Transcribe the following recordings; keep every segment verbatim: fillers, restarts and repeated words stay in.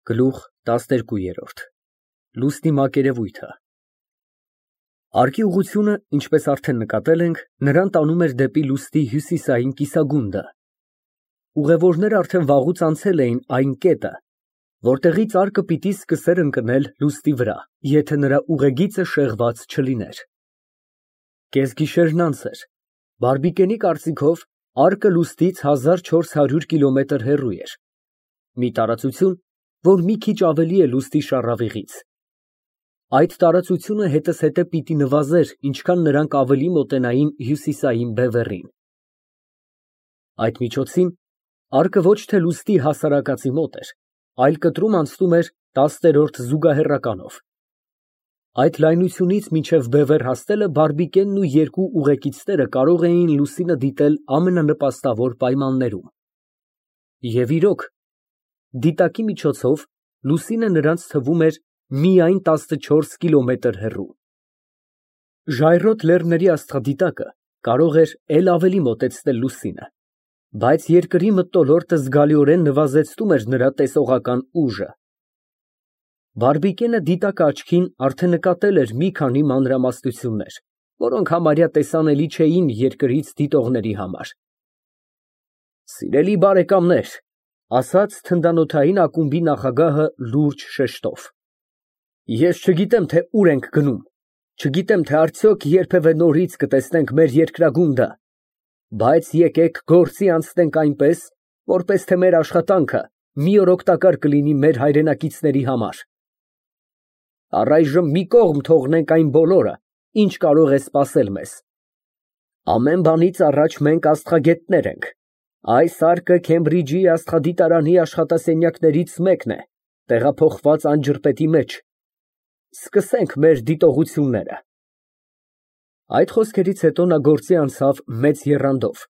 Գլուխ տասներկու։ Լուսնի մակերևույթը Արկի ուղղությունը, ինչպես արդեն նկատել ենք, նրան տանում էր դեպի լուսնի հյուսիսային կիսագունդը։ Ուղևորներն արդեն վաղուց անցել էին այն կետը, որտեղից արկը պիտի սկսեր ընկնել լուսնի վրա, եթե նրա ուղեգիծը շեղված չլիներ։ Կեսգիշերն անց էր։ Բարբիկենի կարծիքով, արկը լուսնից հազար չորս հարյուր կիլոմետր հեռու էր, մի տարածություն, որ մի քիչ ավելի է լուսնի շառավիղից։ Այդ տարածությունը հետզհետե պիտի նվազեր, ինչքան նրանք ավելի մոտենային հյուսիսային բևեռին։ Այդ միջոցին արկը ոչ թե լուսնի հասարակածի մոտ էր, այլ կտրում անցնում էր տասներորդ զուգահեռականով։ Այդ լայնությունից մինչև բևեռ հասնելը Բարբիկենն ու երկու ուղեկիցները կարող էին լուսինը դիտել ամենանպաստավոր պայմաններում։ Եվ իրոք, դիտակի միջոցով լուսինը նրանց թվում էր միայն տասնչորս կիլոմետր հեռու։ Ժայռոտ լեռների աստղադիտակը կարող էր էլ ավելի մոտեցնել լուսինը, բայց երկրի մթնոլորտը զգալիորեն նվազեցնում էր նրա տեսողական ուժը։ Բարբիկենը դիտակը աչքին արդեն նկատել էր մի քանի մանրամասնություններ, որոնք համարյա տեսանելի չէին երկրից դիտողների համար։ Սիրելի բարեկամներ, ասաց թնդանոթային ակումբի նախագահը լուրջ շեշտով, ես չգիտեմ, թե ուր ենք գնում, չգիտեմ, թե արդյոք երբևէ նորից կտեսնենք մեր երկրագունդը, բայց եկեք գործի անցնենք այնպես, որպես թե մեր աշխատանքը մի օր օգտակար կլինի մեր հայրենակիցների համար։ Առայժմ մի կողմ թողնենք այն բոլորը, ինչ կարող է սպասել մեզ։ Ամեն բանից առաջ մենք աստղագետներ ենք։ Այս արկը Քեմբրիջի աստղադիտարանի աշխատասենյակներից մեկն է, տեղափոխված Անջրպետի մեջ։ Սկսենք մեր դիտողությունները։ Այդ խոսքերից հետո նա գործի անցավ մեծ եռանդով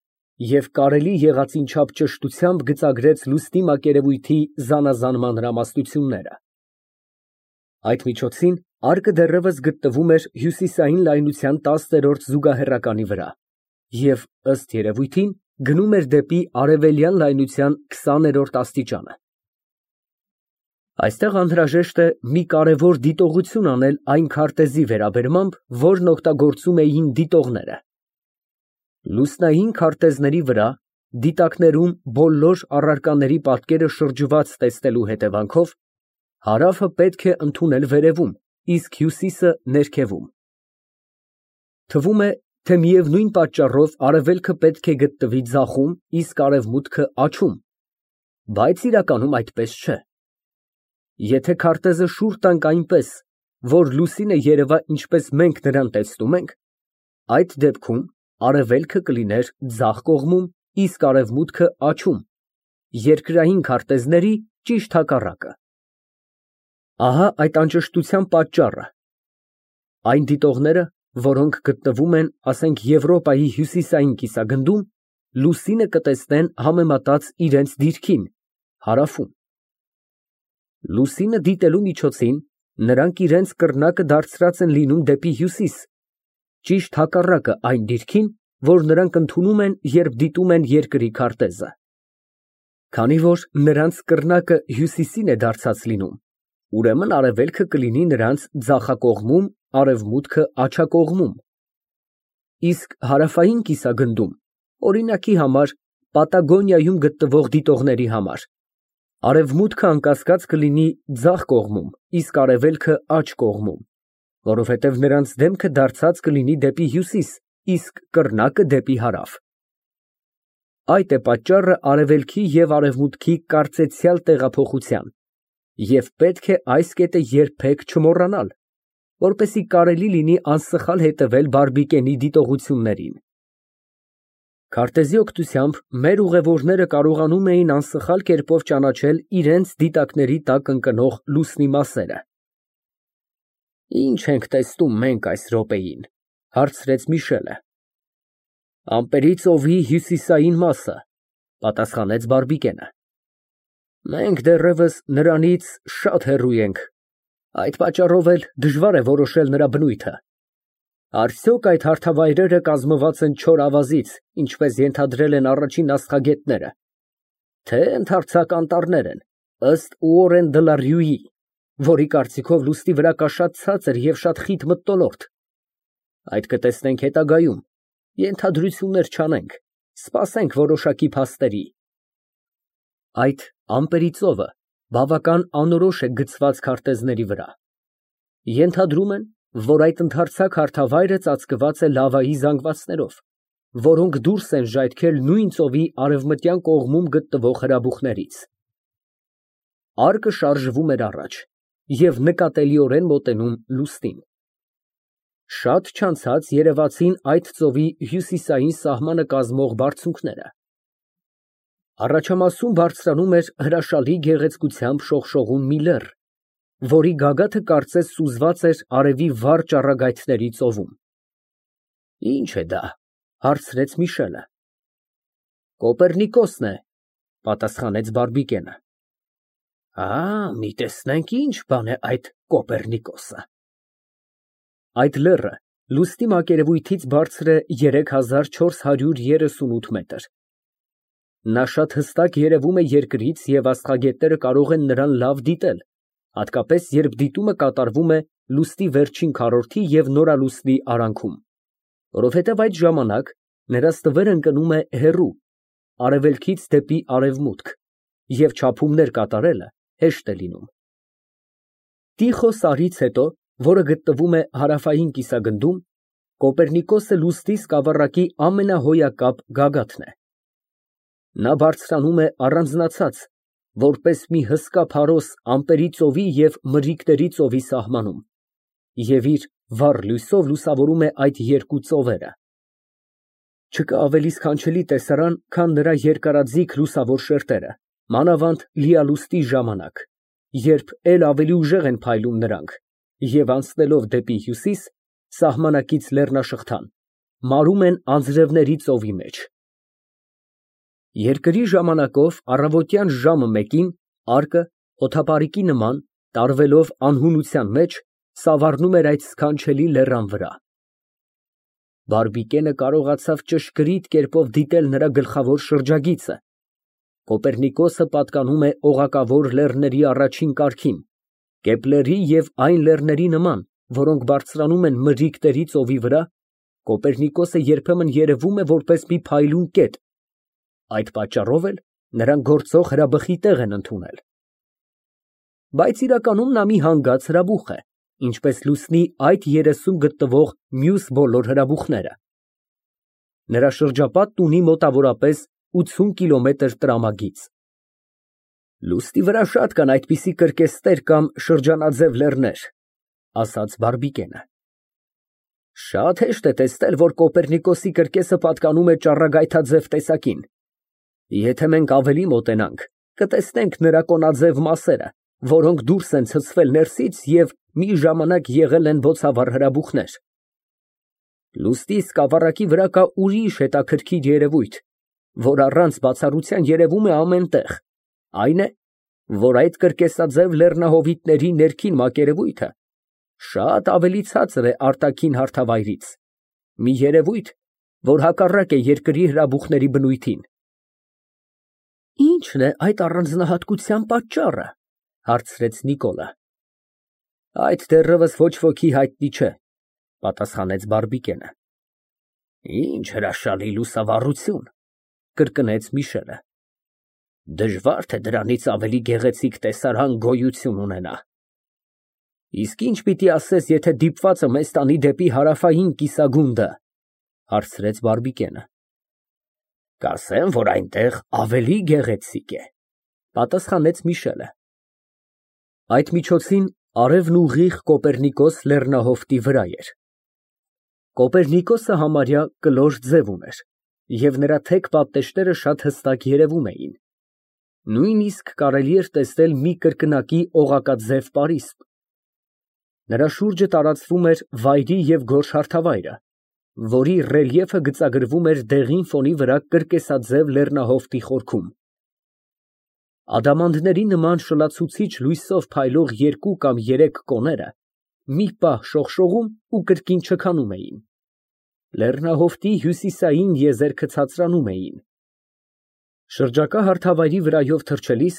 և կարելի եղածին չափ ճշտությամբ գծագրեց լուսնի մակերևույթի զանազան մանրամասնությունները։ Այդ միջոցին արկը դեռևս գտնվում էր հյուսիսային լայնության տասներորդ զուգահեռականի վրա և, ըստ երևույթին, գնում էր դեպի արևելյան լայնության քսաներորդ աստիճանը։ Այստեղ անհրաժեշտ է մի կարևոր դիտողություն անել այն քարտեզի վերաբերմամբ, որն օգտագործում էին դիտողները։ Լուսնային քարտեզների վրա դիտակներում բոլոր առարկաների պատկերը շրջված տեսնելու հետևանքով հարավը պետք է ընդունել վերևում, իսկ հյուսիսը ներքևում։ Թվում է, թե միևնույն պատճառով արևելքը պետք է գտնվի ձախում, իսկ արևմուտքը աջ, բայց իրականում այդպես չէ։ Եթե քարտեզը շուռ տանք այնպես, որ լուսինը երևա ինչպես մենք նրան տեսնում ենք, այդ դեպքում արևելքը կլիներ ձախ կողմում, իսկ արևմուտքը աջում, երկրային քարտեզների ճիշտ հակառակը։ Ահա այդ անճշտության պատճառը։ Այն դիտողները, որոնք գտնվում են, ասենք, Եվրոպայի հյուսիսային կիսագնդում, լուսինը կտեսնեն համեմատած իրենց դիրքին՝ հարավում։ Լուսինը դիտելու միջոցին նրանք իրենց կռնակը դարձրած են լինում դեպի հյուսիս, ճիշտ հակառակը այն դիրքին, որ նրանք ընդունում են, երբ դիտում են երկրի քարտեզը։ Քանի որ նրանց կռնակը հյուսիսին է դարձած լինում, ուրեմն արևելքը կլինի նրանց ձախակողմում, արևմուտքը աջակողմում։ Իսկ հարավային կիսագնդում, օրինակի համար, Պատագոնիայում գտնվող դիտողների համար, արևմուտքը անկասկած կլինի ձախ կողմում, իսկ արևելքը աջ կողմում, որովհետև նրանց դեմքը դարձած կլինի դեպի հյուսիս, իսկ կռնակը դեպի հարավ։ Այդ է պատճառը արևելքի և արևմուտքի կարծեցյալ տեղափոխության, և պետք է այս կետը երբեք չմոռանալ, որպեսզի կարելի լինի անսխալ հետևել Բարբիկենի դիտողություններին։ Քարտեզի օգնությամբ մեր ուղևորները կարողանում էին անսխալ կերպով ճանաչել իրենց դիտակների տակ ընկնող լուսնի մասերը։ Ի՞նչ ենք տեսնում մենք այս րոպեին, հարցրեց Միշելը։ Ամպերի ծովի հյուսիսային մասը, պատասխանեց Բարբիկենը։ Մենք դեռևս նրանից շատ հեռու ենք, այդ պատճառով էլ դժվար է որոշել նրա բնույթը։ Արդյոք այդ հարթավայրերը կազմված են չոր ավազից, ինչպես ենթադրել են առաջին աստղագետները, թե ընդարձակ անտառներ են, Ըստ Ուորեն դը լա Ռյուի, որի կարծիքով լուստի վրա կա շատ ցածր և շատ խիտ մթնոլորտ։ Այդ կտեսնենք հետագայում, ենթադրություններ չանենք, սպասենք որոշակի փաստերի։ Այդ ամպերի ծովը բավական անորոշ է գծված քարտեզների վրա։ Ենթադրում են, որ այդ ընդարձակ հարթավայրը ծածկված է լավայի զանգվածներով, որոնք դուրս են ժայթքել նույն ծովի արևմտյան կողմում գտնվող հրաբուխներից։ Արկը շարժվում էր առաջ և նկատելիորեն մոտենում լուստին։ Շատ չանցած երևացին այդ ծովի հյուսիսային սահմանը կազմող բարձունքները։ Առաջամասում բարձրանում էր հրաշալի գեղեցկությամբ շողշողուն մի լեռ, որի գագաթը կարծես սուզված էր արևի վառ ճառագայթների ծովում։ Ի՞նչ է դա, հարցրեց Միշելը։ Կոպեռնիկոսն է, պատասխանեց Բարբիկենը։ Ա, մի տեսնենք ինչ բան է այդ Կոպեռնիկոսը։ Այդ լեռը լուստի մակերևույթից բարձր է երեք հազար չորս հարյուր երեսունութ մետր։ Նա շատ հստակ երևում է երկրից և աստղագետները կարող են նրան լավ դիտել, հատկապես երբ դիտումը կատարվում է լուստի վերջին քառորդի և նորալուսնի արանքում, որովհետև այդ ժամանակ նրա ստվերը ընկնում է հեռու, արևելքից դեպի արևմուտք, և չափումներ կատարելը հեշտ է լինում։ Տիխո սարից հետո, որը գտնվում է հարավային կիսագնդում, Կոպեռնիկոսը լուստի սկավառակի ամենահոյակապ գագաթն է։ Նա բարձրանում է առանձնացած, որպես մի հսկա փարոս ամպերի ծովի և մրրիկների ծովի սահմանում, և իր վառ լույսով լուսավորում է այդ երկու ծովերը։ Չկա ավելի սքանչելի տեսարան, քան նրա երկարաձիգ լուսավոր շերտերը, մանավանդ լիալուստի ժամանակ, երբ էլ ավելի ուժեղ են փայլում նրանք, և անցնելով դեպի հյուսիս, սահմանակից լեռնաշղթան, մարում են անձրևների ծովի մեջ։ Երկրի ժամանակով առավոտյան ժամը մեկին արկը, օդապարիկի նման, տարվելով անհունության մեջ, սավառնում էր այդ սքանչելի լեռան վրա։ Բարբիկենը կարողացավ ճշգրիտ կերպով դիտել նրա գլխավոր շրջագիծը։ Կոպեռնիկոսը պատկանում է օղակավոր լեռների առաջին կարգին, Կեպլերի և այն լեռների նման, որոնք բարձրանում են մրրիկների ծովի վրա, Կոպեռնիկոսը երբեմն երևում է որպես մի փայլուն կետ, այդ պատճառով էլ նրան գործող հրաբխի տեղ են ընդունել։ Բայց իրականում նա մի հանգած հրաբուխ է, ինչպես լուսնի այդ երեսում գտնվող մյուս բոլոր հրաբուխները։ Նրա շրջապատն ունի մոտավորապես ութսուն կիլոմետր տրամագիծ։ Լուստի վրա շատ կան այդպիսի կրկեսներ կամ շրջանաձև լեռներ, ասաց Բարբիկենը։ Շատ հեշտ է տեսնել, որ Կոպեռնիկոսի կրկեսը պատկանում է ճառագայթաձև տեսակին։ Եթե մենք ավելի մոտենանք, կտեսնենք նրա կոնաձև մասերը, որոնք դուրս են ցցվել ներսից և մի ժամանակ եղել են բոցավառ հրաբուխներ։ Լուստի սկավառակի վրա կա ուրիշ հետաքրքիր երևույթ, որ առանց բացառության երևում է ամեն տեղ, այն է, որ այդ կրկեսաձև լեռնահովիտների ներքին մակերևույթը շատ ավելի ցածր է արտաքին հարթավայրից, մի երևույթ, որ հակառակ է երկրի հրաբուխների բնույթին։ Ի՞նչն է այդ առանձնահատկության պատճառը, հարցրեց Նիկոլը։ Այդ դեռևս ոչ ոքի հայտնի չէ, պատասխանեց Բարբիկենը։ Ինչ հրաշալի լուսավառություն, կրկնեց Միշելը։ Դժվար թե դրանից ավելի գեղեցիկ տեսարան գոյություն ունենա։ Իսկ ինչ պիտի ասես, եթե դիպվածը մեզ տանի դեպի հարավային կիսագունդը, հարցրեց Բարբիկենը։ Կասեմ, որ այնտեղ ավելի գեղեցիկ է, պատասխանեց Միշելը։ Այդ միջոցին արևն ուղիղ Կոպեռնիկոս լեռնահովտի վրա էր։ Կոպեռնիկոսը համարյա կլոր ձև ուներ, և նրա թեք պատնեշները շատ հստակ երևում էին։ Նույնիսկ կարելի էր տեսնել մի կրկնակի օղակաձև պարիսպ։ Նրա շուրջը տարածվում էր վայրի և գորշ հարթավայրը, որի ռելիեֆը գծագրվում էր դեղին ֆոնի վրա կրկեսաձև լեռնահովտի խորքում։ Ադամանդների նման շլացուցիչ լույսով փայլող երկու կամ երեք կոները մի պահ շողշողում ու կրկին չքանում էին։ Լեռնահովտի հյուսիսային եզերքը ցածրանում էին։ Շրջակա հարթավայրի վրայով թռչելիս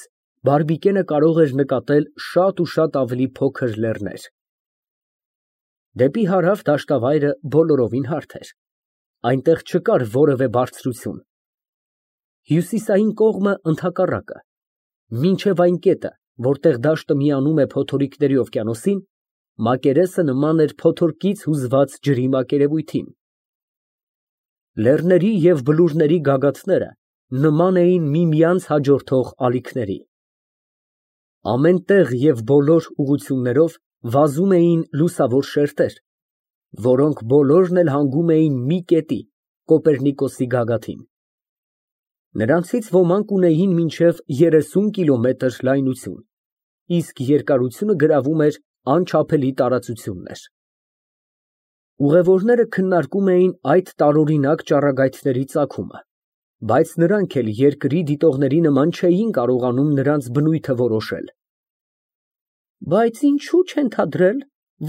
Բարբիկենը կարող էր նկատել շատ ու շատ ավելի փոքր լեռներ։ Դեպի հարավ դաշտավայրը բոլորովին հարթ էր, այնտեղ չկար որևէ բարձրություն։ Հյուսիսային կողմը ընդհակառակը, մինչև այն կետը, որտեղ դաշտը միանում է փոթորիկների օվկիանոսին, մակերեսը նման էր փոթորկից հուզված ջրի մակերևույթին։ Լեռների և բլուրների գագաթները նման էին միմյանց հաջորդող ալիքների։ Ամեն տեղ և բոլոր ուղղություններով վազում էին լուսավոր շերտեր, որոնք բոլորն էլ հանգում էին մի կետի՝ Կոպեռնիկոսի գագաթին։ Նրանցից ոմանք ունեին մինչև երեսուն կիլոմետր լայնություն, իսկ երկարությունը գրավում էր անչափելի տարածություններ։ Ուղևորները քննարկում էին այդ տարօրինակ ճառագայթների ծագումը, բայց նրանք էլ երկրի դիտողների նման չէին կարողանում նրանց բնույթը որոշել։ Բայց ինչո՞ւ չենթադրել,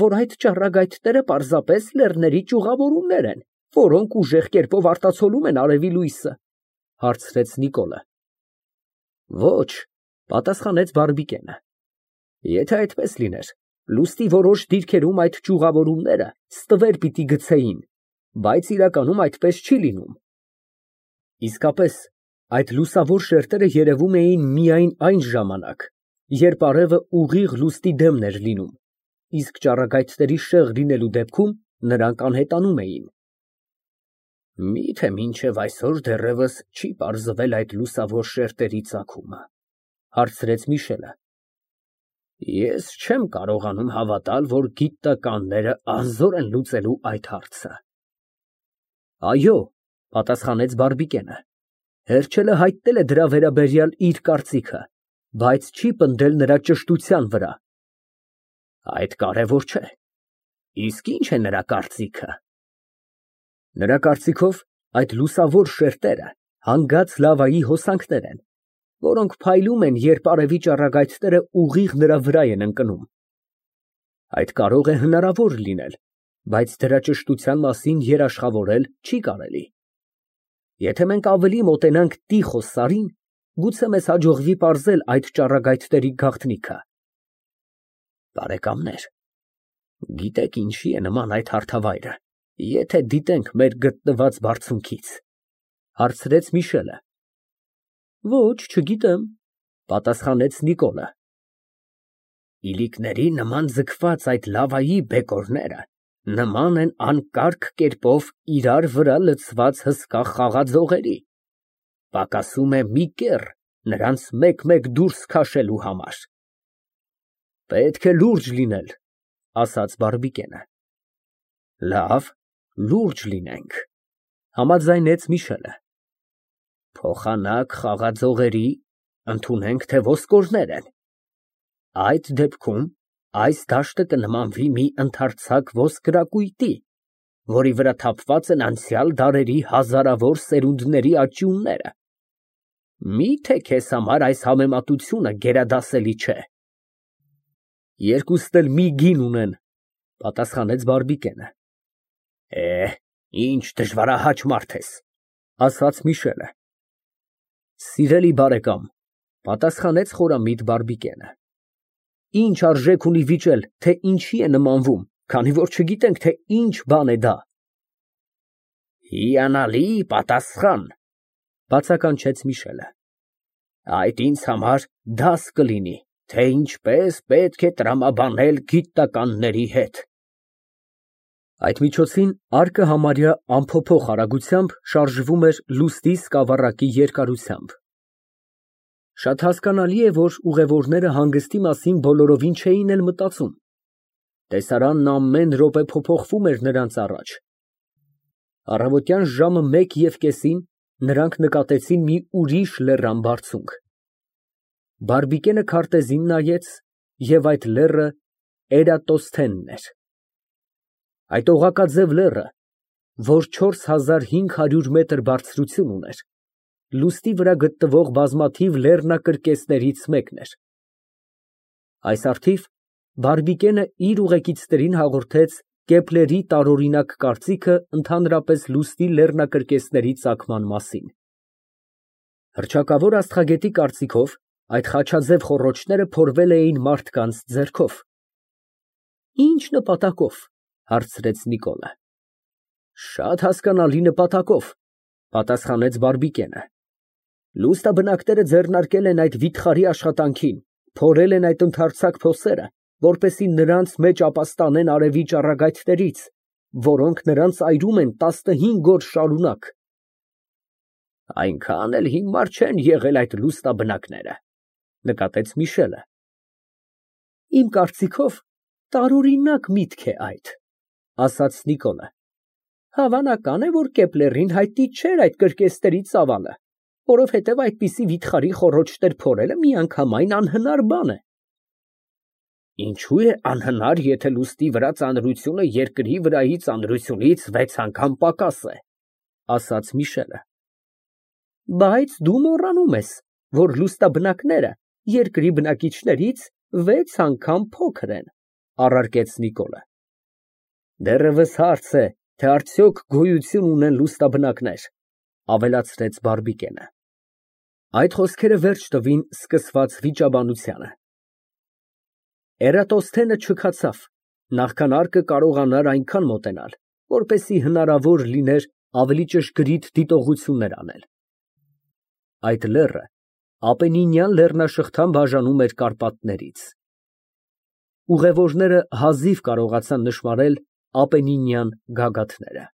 որ այդ ճառագայթները պարզապես լեռների ճյուղավորումներ են, որոնք ուժեղ կերպով արտացոլում են արևի լույսը, ֊ հարցրեց Նիկոլը։ Ոչ, ֊ պատասխանեց Բարբիկենը, եթե այդպես լիներ, լուստի որոշ դիրքերում այդ ճյուղավորումները ստվեր պիտի գցեին, բայց իրականում այդպես չի լինում։ Իսկապես, այդ լուսավոր շերտերը երևում էին միայն այն ժամանակ, երբ արևը ուղիղ լուստի դեմն էր լինում, իսկ ճառագայթների շեղ լինելու դեպքում նրանք անհետանում էին։ Մի՞թե մինչև այսօր դեռևս չի պարզվել այդ լուսավոր շերտերի ծագումը, ֊ հարցրեց Միշելը։ Ես չեմ կարողանում հավատալ, որ գիտնականները անզոր են լուծելու այդ հարցը։ Այո, ֊ պատասխանեց Բարբիկենը, հերչելը հայտնել է դրա վերաբերյալ իր կարծիքը, բայց չի պնդել նրա ճշտության վրա։ Այդ կարևոր չէ, իսկ ի՞նչ է նրա կարծիքը։ Նրա կարծիքով այդ լուսավոր շերտերը հանգած լավայի հոսանքներ են, որոնք փայլում են, երբ արևի ճառագայթները ուղիղ նրա վրա են ընկնում։ Այդ կարող է հնարավոր լինել, բայց դրա ճշտության մասին երաշխավորել չի կարելի։ Եթե մենք ավելի մոտենանք Տիխոս սարին, գուցե մեզ հաջողվի պարզել այդ ճառագայթների գաղտնիքը։ Բարեկամներ, գիտեք ինչի է նման այդ հարթավայրը, եթե դիտենք մեր գտնված բարձունքից, ֊ հարցրեց Միշելը։ Ոչ, չգիտեմ, ֊ պատասխանեց Նիկոլը։ Իլիկների նման ձգված այդ լավայի բեկորները նման են անկարգ կերպով իրար վրա լցված հսկա խաղաձողերի, պակասում է մի կեռ նրանց մեկ֊մեկ դուրս քաշելու համար։ Պետք է լուրջ լինել, ֊ ասաց Բարբիկենը։ Լավ, լուրջ լինենք, ֊ համաձայնեց Միշելը։ Փոխանակ խաղաձողերի, ընդունենք, թե ոսկորներ են։ Այդ դեպքում այս դաշտը կնմանվի մի ընդարձակ ոսկրակույտի, որի վրա թափված են անցյալ դարերի հազարավոր սերունդների աճյունները։ Մի՞թե քեզ համար այս համեմատությունը գերադասելի չէ։ Երկուսն էլ մի գին ունեն, ֊ պատասխանեց Բարբիկենը։ Է, ինչ դժվարահաճ մարդ ես, ֊ ասաց Միշելը։ Սիրելի բարեկամ, ֊ պատասխանեց խորամիտ Բարբիկենը, ինչ արժեք ունի վիճել, թե ինչի է նմանվում, քանի որ չգիտենք, թե ինչ բան է դա։ Հիանալի պատասխան, ֊ բացականչեց Միշելը։ Այդ ինձ համար դաս կլինի, թե ինչպես պետք է տրամաբանել գիտնականների հետ։ Այդ միջոցին արկը համարյա անփոփոխ արագությամբ շարժվում էր լուստի սկավառակի երկարությամբ։ Շատ հասկանալի է, որ ուղևորները հանգստի մասին բոլորովին չէին էլ մտածում։ Տեսարանն ամեն րոպե փոփոխվում էր նրանց առաջ։ Առավոտյան ժամը մեկ և կեսին նրանք նկատեցին մի ուրիշ լեռան բարձունք։ Բարբիկենը քարտեզին նայեց, և այդ լեռը Էրատոսթենն էր։ Այդ օղակաձև լեռը, որ չորս հազար հինգ հարյուր մետր բարձրություն ուներ, լուստի վրա գտնվող բազմաթիվ լեռնակրկեսներից մեկն էր։ Այս առթիվ Բարբիկենը իր ուղեկիցներին հաղորդեց Կեպլերի տարօրինակ կարծիքը ընդհանրապես լուստի լեռնակրկեսների ծագման մասին։ Հռչակավոր աստղագետի կարծիքով, Այդ խաչաձև խոռոչները փորվել էին մարդկանց ձեռքով։ Ի՞նչ նպատակով, հարցրեց Նիկոլը։ Շատ հասկանալի նպատակով, պատասխանեց Բարբիկենը։ Լուստաբնակները ձեռնարկել են այդ վիթխարի աշխատանքին, փորել են այդ ընդարձակ փոսերը, որպեսզի նրանց մեջ ապաստանեն արևի ճառագայթներից, որոնք նրանց այրում են տասնհինգ օր շարունակ։ Այնքան էլ հիմար չեն եղել այդ լուստաբնակները, նկատեց Միշելը։ Իմ կարծիքով տարօրինակ միտք է այդ, ասաց Նիկոլը։ Հավանական է, որ Կեպլերին հայտնի չէր այդ կրկեսների ծավալը, որովհետև այդպիսի վիթխարի խոռոչներ փորելը միանգամայն անհնար բան է։ Ինչու է անհնար, եթե լուստի վրա ծանրությունը երկրի վրայի ծանրությունից վեց անգամ պակաս է, ասաց Միշելը։ Բայց դու մոռանում ես, որ լուստաբնակները երկրի բնակիչներից վեց անգամ փոքր են, առարկեց Նիկոլը։ Դեռևս հարց է, թե արդյոք գոյություն ունեն լուստաբնակներ, ավելացրեց Բարբիկենը։ Այդ խոսքերը վերջ տվին սկսված վիճաբանությանը։ Էրատոսթենը չքացավ, նախքան արկը կարողանար այնքան մոտենալ, որպեսզի հնարավոր լիներ ավելի ճշգրիտ դիտողություններ անել։ Այդ լեռը Ապենինյան լեռնաշղթան բաժանում էր Կարպատներից։ Ուղևորները հազիվ կարողացան նշմարել Ապենինյան գագաթները։